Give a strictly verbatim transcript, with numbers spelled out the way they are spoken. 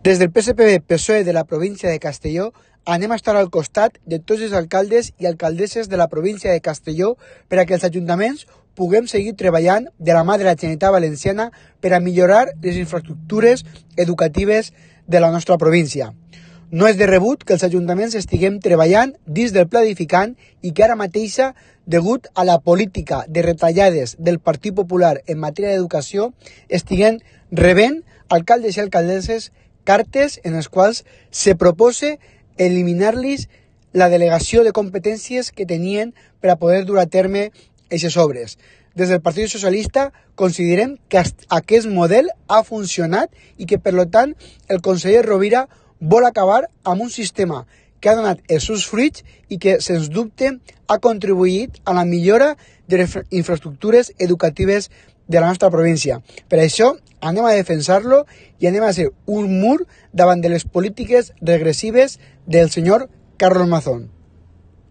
Des del P S P B P S O E de la província de Castelló anem a estar al costat de tots els alcaldes i alcaldesses de la província de Castelló per a que els ajuntaments puguem seguir treballant de la mà de la Generalitat Valenciana per a millorar les infraestructures educatives de la nostra província. No és de rebut que els ajuntaments estiguem treballant dins del pla edificant i que ara mateixa, degut a la política de retallades del Partit Popular en matèria d'educació, estiguen rebent alcaldes i alcaldesses cartes en les quals se propose eliminar-los la delegació de competències que tenien per a poder dur a terme aquestes obres. Des del Partit Socialista considerem que aquest model ha funcionat i que, per tant, el conseller Rovira vol acabar amb un sistema que ha donat els seus fruits i que, sens dubte, ha contribuït a la millora de les infraestructures educatives de la nostra província. Per això anem a defensar-lo i anem a ser un mur davant de les polítiques regressives del senyor Carlos Mazón.